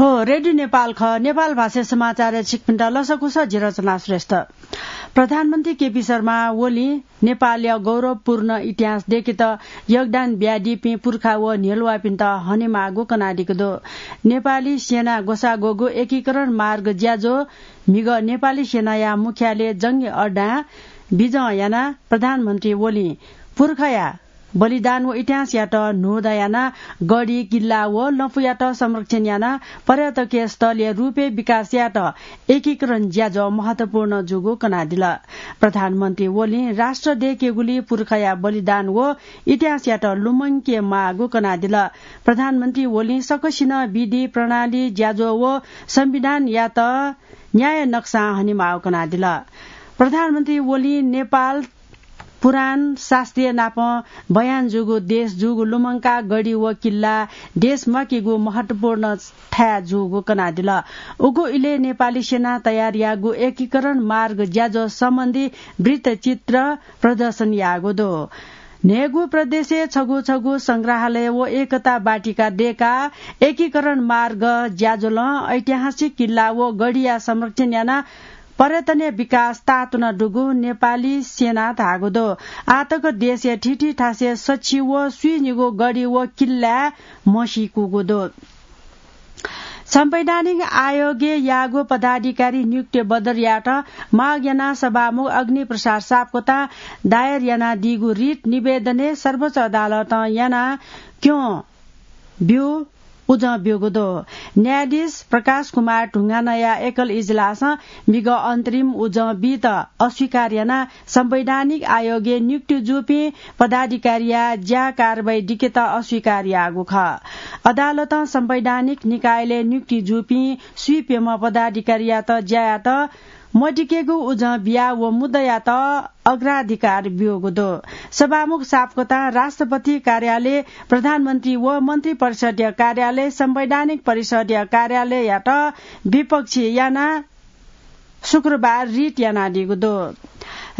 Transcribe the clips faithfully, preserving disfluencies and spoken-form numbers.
हो, रेडियो नेपाल खः। नेपाल भाषा समाचार छिकपिन्त लसकुस जिरचना श्रेष्ठ। प्रधानमन्त्री केपी शर्मा ओलीं नेपालया गौरवपूर्ण इतिहास दय्केत योगदान बियादीपिं पुर्खा व न्ह्यलुवापिन्त हनेमाःगु कनादीगु दु। नेपाली सेना ग्वसाः ग्वःगु एकीकरण मार्ग ज्याझ्वः म्हिगः नेपाली सेनाया मुख्यालय जंगी अड्डां बिजं यानाः प्रधानमन्त्री ओलीं पुर्खाया बलिदान व इतिहासयात न्हूदँ यानाः गढी, किल्ला व लँपुयात संरक्षण यानाः पर्यटकीय स्थलया रूपय् विकास यायेत एकीकरण ज्याझ्वः महत्वपूर्ण जूगु कनादिल। प्रधानमन्त्री ओलीं राष्ट्र दय्केगुली पुर्खाया बलिदान व इतिहासयात लुमंके माःगु कनादिल। प्रधानमन्त्री ओलीं सकसिनं विधि, प्रणाली, ज्याझ्वः व संविधानयात न्याय नक्सां हनेमाःगु कनादिल। प्रधानमन्त्री ओलीं नेपाल पुराण शास्त्रीय नाप बयान जूगु देश जूगु लुमंकाः गढी व किल्ला देश म्वाकेगु महत्वपूर्ण थाय् जूगु कनादिल। उगु इलय् नेपाली सेना तयार याःगु एकीकरण मार्ग ज्याझ्वः सम्बन्धी वृत्तचित्र प्रदर्शन याःगु दु। न्हय्गू प्रदेशय् छगू छगू संग्रहालय व एकता वाटिका दय्काः एकीकरण मार्ग ज्याझ्वलं ऐतिहासिक किल्ला व गढीया संरक्षण यानाः पर्यटनया विकास ताःतुना दुगु नेपाली सेनां धाःगु दु। आःतक देशया थीथी थासय् सच्छि व स्वीनिगू गढी व किल्लाय् म्हसीकूगु दु। संवैधानिक आयोगय् याःगु पदाधिकारी नियुक्ति बदर यायेत माग यानाः सभामुख अग्निप्रसाद सापकोटां दायर यानादीगु रिट निवेदनय् सर्वोच्च अदालतं यानाः क्यं ब्यू उजं ब्यूगु दु। न्यायाधीश प्रकाश कुमार ढुङ्गानाया एकल इजलासं म्हिगः अन्तरिम उजं बीत अस्वीकार यानाः संवैधानिक आयोगय् नियुक्ति जूपिं पदाधिकारीया ज्या कारवाही दिकेत अस्वीकार याःगु खः। अदालतं संवैधानिक निकायलय् नियुक्ति जूपिं स्वीप्यम्ह पदाधिकारीयात ज्यायात मदिकेगु उजं बियाः व मुद्दायात अग्राधिकार ब्यूगु दु। सभामुख सापकोटां राष्ट्रपति कार्यालय, प्रधानमन्त्री व मन्त्री परिषदया कार्यालय, संवैधानिक परिषदया कार्यालययात विपक्षी यानाः शुक्रबार रिट यानादीगु दु।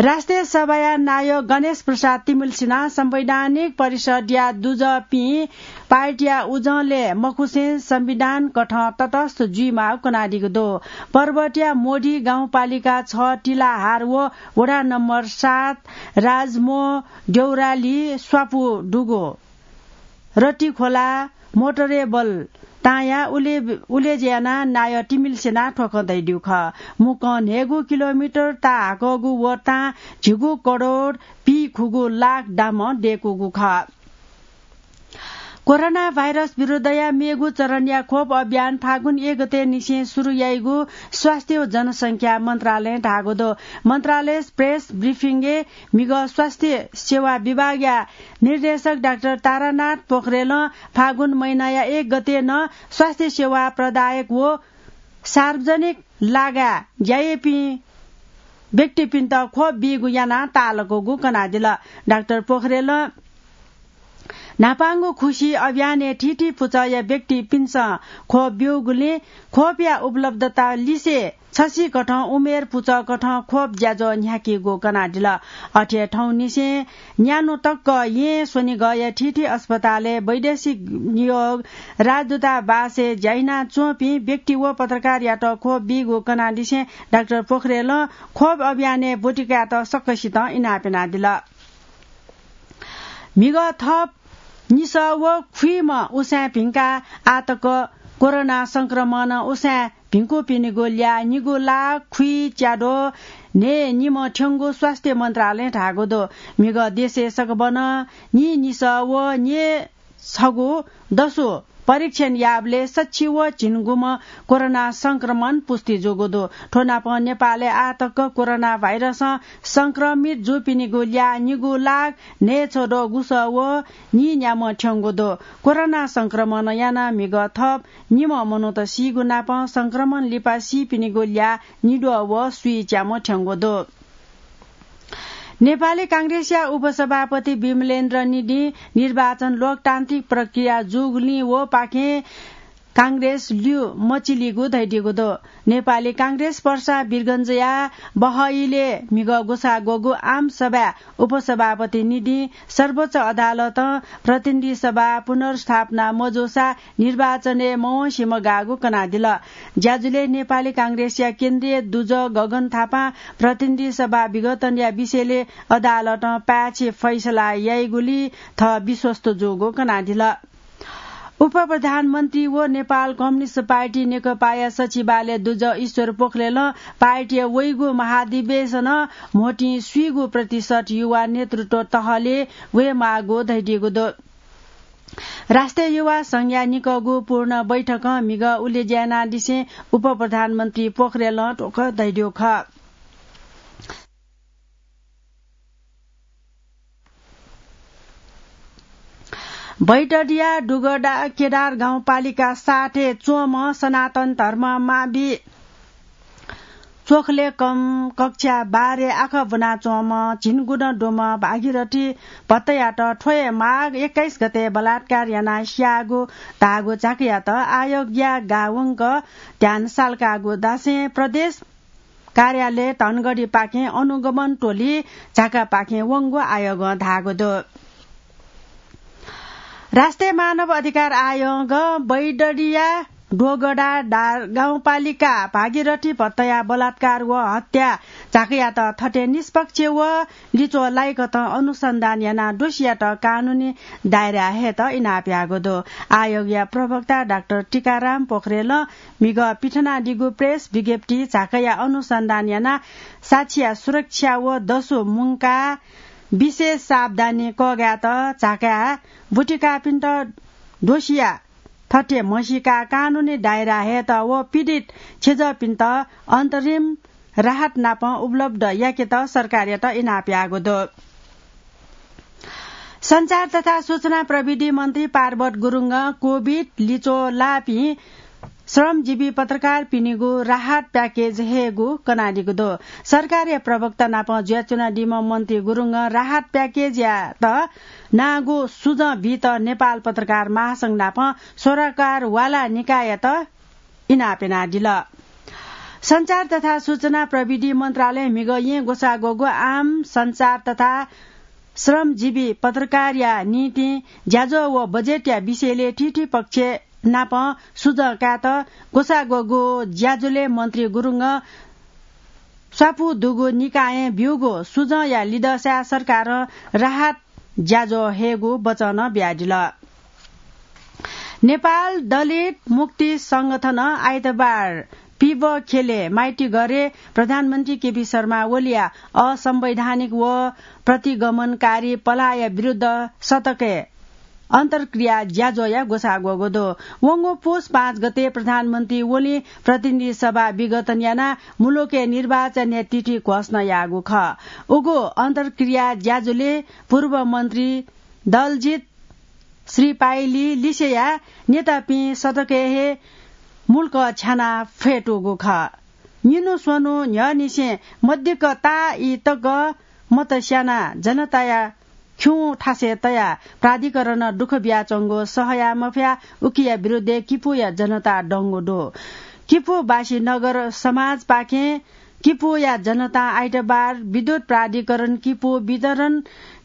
राष्ट्रिय सभाया नायः गणेश प्रसाद तिमिल्सिनां संवैधानिक परिषदया दुजःपिं पार्टीया उजंलय् मखुसें संविधान कथं तटस्थ जुइमाःगु कनादीगु दु। पर्वतया मोडी गाउँपालिका छ तिलाहार व वडा नम्बर सात राजमोह देउराली स्वापू दुगु रतिखोला मोटरेबल तांया उले-, उलेज्याना नायः तिमिल्सिनां थ्व खँ धयादीगु खः। मुक्कं न्हय्गू किलोमिटर ताः हाकःगु व तां झिगू करोड पीखुगू लाख दामं दय्कूगु खः। कोरोना भाइरस विरुद्धया मेगु चरणया खोप अभियान फागुन एक गते निसें सुरु याइगु स्वास्थ्य व जनसंख्या मन्त्रालयं धाःगु दु। मन्त्रालय प्रेस ब्रिफिङय् म्हिगः स्वास्थ्य सेवा विभागया निर्देशक डाक्टर तारानाथ पोखरेलं फागुन महिनाया एक गते नं स्वास्थ्य सेवा प्रदायक व सार्वजनिक लागाय् ज्या याइपिं व्यक्तिपिन्त खोप बीगु यानाः ताःलाकूगु कनादिल। डाक्टर पोखरेलं न्हापांगु खुसी अभियानय् थीथी पुचःया व्यक्तिपिन्सं खोप ब्यूगुलिं खोपया उपलब्धता लिसे छसिकथं उमेर पुचःकथं खोप ज्याझ्वः न्ह्याकीगु कनादिल। अथे थौंनिसें न्यान्हु तक येँ स्वनिगःया थीथी अस्पतालय् वैदेशिक नियोग राजदूतावासय् ज्या यानाच्वंपिं व्यक्ति व पत्रकारयात खोप बीगु कनादिसें डाक्टर पोखरेलं खोप अभियानय् ब्वति कायेत सकसितं इनाप यानादिल। म्हिगः थप निसः व खुइम्ह उसाँय् भिंकाः आःतक कोरोना संक्रमणं उसाँय् भिंकूपिनिगु ल्याः निगू लाख खुइच्याद्वः न्हय् निम्ह थ्यंगु स्वास्थ्य मन्त्रालयं धाःगु दु। म्हिगः देशय् सकभनं नीन्हय् निसः व न्हय् छगू दसु परीक्षण याःबलय् सच्छि व झिंगुम्ह कोरोना संक्रमण पुष्टि जूगु दु। थ्व नापं नेपालय् आःतक कोरोना भाइरसं संक्रमित जूपिनिगु ल्याः निगू लाख न्हय् छद्वः गुसः व नीन्याम्ह थ्यंगु दु। कोरोना संक्रमणं यानाः म्हिगः थप निम्ह मनूत सीगु नापं संक्रमण लिपा सीपिनिगु ल्याः निद्वः व स्वीच्याम्ह थ्यंगु दु। नेपाली कांग्रेसया उपसभापति विमलेन्द्र निधिं निर्वाचन लोकतान्त्रिक प्रक्रिया जूगुलिं व पाखें कांग्रेस ल्यू मचिलीगु धइदीगु दु। नेपाली कांग्रेस पर्सा वीरगंजया बहइले म्हिगः ग्वसाः ग्वःगु आम सभाय् उपसभापति निंतिं सर्वोच्च अदालतं प्रतिनिधि सभा पुनर्स्थापना मजूसा निर्वाचनय् मवंसे मगाःगु कनादिल। ज्याझ्वलय् नेपाली कांग्रेसया केन्द्रीय दुजः गगन थापां प्रतिनिधि सभा विघटनया विषयलय् अदालतं पाय्छि फैसला याइगुलिइ थः विश्वस्त जूगु कनादिल। उपप्रधानमन्त्री व नेपाल कम्युनिस्ट पार्टी नेकपाया सचिवालय दुजः ईश्वर पोखरेलं पार्टीया वइगु महाधिवेशनं म्होतिं स्वीगू प्रतिशत युवा नेतृत्व तहलय् वयेमाःगु धइदीगु दु। राष्ट्रिय युवा संघया निकःगु पूर्ण बैठकं म्हिगः उलेज्या यानादिसें उपप्रधानमन्त्री पोखरेलं थ्व खँ धइदीगु खः। बैतडीया डुगडा केदार गाउँपालिका सातय् च्वंम्ह सनातन धर्म मावि च्वखलेकं कक्षा बाह्रय् आखः ब्वनाच्वंम्ह झिंगुदँ दुम्ह भागीरथी भट्टयात थ्व हे माघ एक्काइस गते बलात्कार यानाः स्याःगु धाःगु झाँक्रीयात आयोगया गावंक ध्यान सालकाःगु धासें प्रदेश कार्यालय धनगढीपाखें अनुगमन टोली झाँक्रीपाखें वंगु आयोगं धाःगु दु। राष्ट्रिय मानव अधिकार आयोगं बैतडीया डुगडा गाउँपालिका भागीरथी भट्टया बलात्कार व हत्या झाँक्रीयात थथे निष्पक्ष व लिच्वः लाइकथं अनुसन्धान यानाः दोषीयात कानूनी दायराय् हयेत इनाप याःगु दु। आयोगया प्रवक्ता डाक्टर टीकाराम पोखरेलं म्हिगः पिथनादीगु प्रेस विज्ञप्तिइ झाँक्रीया अनुसन्धान यानाः साक्षीया सुरक्षा व दसु मुंकाः विशेष सावधानी कःघायेत झाँक्रीया बुतिकाःपिन्त दोषीया थथे म्हसीकाः कानूनी दायराय् हयेत व पीडित छेँजःपिन्त अन्तरिम राहत नाप उपलब्ध याकेत सरकारयात इनाप याःगु दु। सञ्चार तथा सूचना प्रविधि मन्त्री पार्वत गुरुङं कोभिड लिच्वः लाःपिं श्रमजीवी पत्रकारपिनिगु राहत प्याकेज हयेगु कनादीगु दु। सरकारया प्रवक्ता नाप जुयाच्वनादीम्ह मन्त्री गुरुङं राहत प्याकेजयात नांगु सुझाव बीत नेपाल पत्रकार महासंघ नाप सरोकारवाला निकाययात इनाप यानादिल। सञ्चार तथा सूचना प्रविधि मन्त्रालयं म्हिगः येँ ग्वसाः ग्वःगु आम सञ्चार तथा श्रमजीवी पत्रकारया निंतिं ज्याझ्वः व बजेटया विषयलय् थीथी पक्ष नाप सुझाव कायेत ग्वसाः ग्वःगु ज्याझ्वलय् मन्त्री गुरुङं स्वापू दुगु निकायं ब्यूगु सुझावया लिधंसाय् सरकारं राहत ज्याझ्वः हयेगु वचन बियादिल। नेपाल दलित मुक्ति संगठनं आइतबार पिबः ख्यलय् माइतीघरय् प्रधानमन्त्री केपी शर्मा ओलीया असंवैधानिक व प्रतिगमनकारी पलाःया विरुद्ध सतकय् अन्तर्क्रिया ज्याझ्वःया ग्वसाः ग्वःगु दु। वंगु पुस पाँच गते प्रधानमन्त्री ओलीं प्रतिनिधि सभा विघटन यानाः मुलुकय् निर्वाचनया तिथि घोषणा याःगु खः। उगु अन्तर्क्रिया ज्याझ्वलय् पूर्व मन्त्री दलजित श्रीपाइली लिसेया नेतापिं सतकय् हे मुल्क छ्यानाः फ्यतूगु खः। निन्हु स्वन्हु न्ह्यःनिसें मदिक्क ताःई तक मत स्यानाः जनताया खिउँ थासय् तयाः प्राधिकरणं दुःख बियाच्वंगु सहया मफया। उकिया विरुद्धय् किपूया जनता दंगु दु। किपूवासी नगर समाजपाखें किपूया जनतां आइतबार विद्युत प्राधिकरण किपू वितरण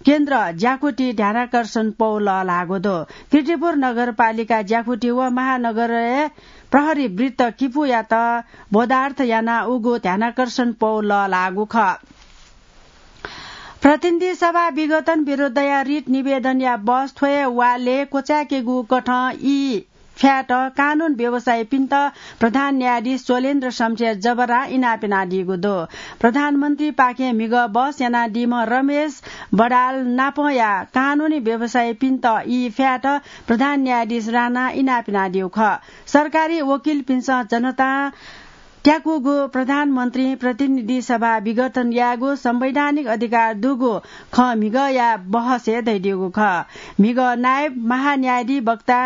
केन्द्र ज्याकुथि ध्यानाकर्षण पौ लःल्हाःगु दु। कीर्तिपुर नगरपालिका ज्याकुथि व महानगरय् प्रहरी वृत्त किपूयात बोधार्थ यानाः उगु ध्यानाकर्षण पौ लःल्हाःगु खः। प्रतिनिधि सभा विघटन विरुद्धया रिट निवेदनया बस थ्व हे वालय् क्वचाय्केगु कथं ई फ्यायेत कानून व्यवसायीपिन्त प्रधान न्यायाधीश चोलेन्द्र शमशेर जबरां इनाप यानादीगु दु। प्रधानमन्त्रीपाखें म्हिगः बहस यानादीम्ह रमेश बडाल नापंया कानूनी व्यवसायीपिन्त ई फ्यायेत प्रधान न्यायाधीश राणां इनाप यानादीगु खः। सरकारी वकिलपिन्सं जनतां त्याकूगु प्रधानमन्त्रीं प्रतिनिधि सभा विघटन यायेगु संवैधानिक अधिकार दुगु खँ म्हिगःया बहसय् धयादीगु खः। म्हिगः नायब महान्यायाधिवक्ता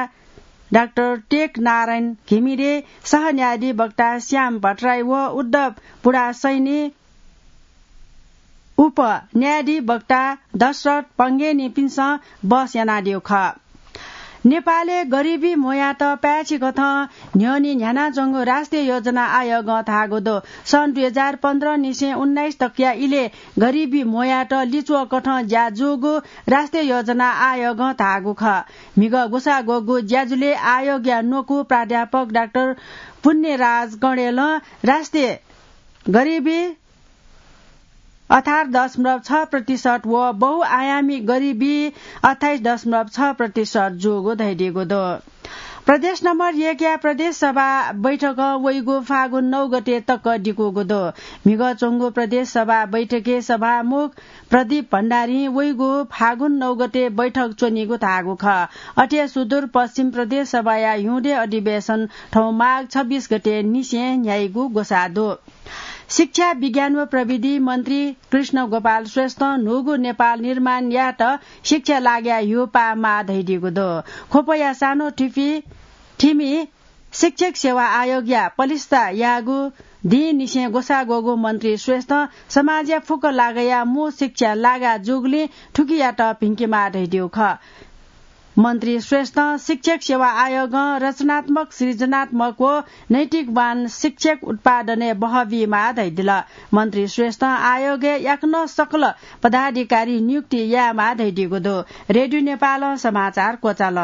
डाक्टर टेक नारायण घिमिरे, सहन्यायाधिवक्ता श्याम भट्टराई व उद्धव पुडासैनी, उपन्यायाधिवक्ता दशरथ पंगेनीपिन्सं बहस यानादीगु खः। नेपालय् गरिबी म्वयात पाय्छि कथं न्ह्यःने न्ह्यानाच्वंगु राष्ट्रिय योजना आयोगं धाःगु दु। सन् दुई हजार पन्ध्र निसें उन्नाइस तकया इलय् गरिबी म्वयात लिच्वः कथं ज्या जूगु राष्ट्रिय योजना आयोगं धाःगु खः। म्हिगः ग्वसाः ग्वःगु ज्याझ्वलय् आयोगया न्वकू प्राध्यापक डाक्टर पुण्यराज कणेलं राष्ट्रिय गरिबी अठार दशमलव छ प्रतिशत व बहुआयामी गरिबी अट्ठाइस दशमलव छ प्रतिशत जूगु धयादीगु दु। प्रदेश नम्बर एकया प्रदेश सभा बैठकं वइगु फागुन नौ गते तक दिकूगु दु। म्हिगः च्वंगु प्रदेश सभा बैठकय् सभामुख प्रदीप भण्डारीं वइगु फागुन नौ गते बैठक च्वनीगु धाःगु खः। अथे सुदूर पश्चिम प्रदेश सभाया हिउँदे अधिवेशन थौं माघ छब्बीस गते निसें न्ह्याइगु ग्वसाः दु। शिक्षा, विज्ञान व प्रविधि मन्त्री कृष्ण गोपाल श्रेष्ठं न्हूगु नेपाल निर्माण यायेत शिक्षा लागाया ह्यू पाः माः धयादीगु दु। ख्वपया सानो थिपि थिमि शिक्षक सेवा आयोगया पलिस्था याःगु दिं निसें ग्वसाः ग्वःगु मन्त्री श्रेष्ठं समाजया फुक्क लागाया मू शिक्षा लागा जूगुलिं थुकियात भिंकेमाः धयादीगु खः। मन्त्री श्रेष्ठं शिक्षक सेवा आयोगं रचनात्मक, सृजनात्मक व नैतिकवान शिक्षक उत्पादनय् बहः बीमाः धयादिल। मन्त्री श्रेष्ठं आयोगय् याकनं सकल पदाधिकारी नियुक्ति यायेमाः धयादीगु दु। रेडियो नेपालं समाचार क्वचाल।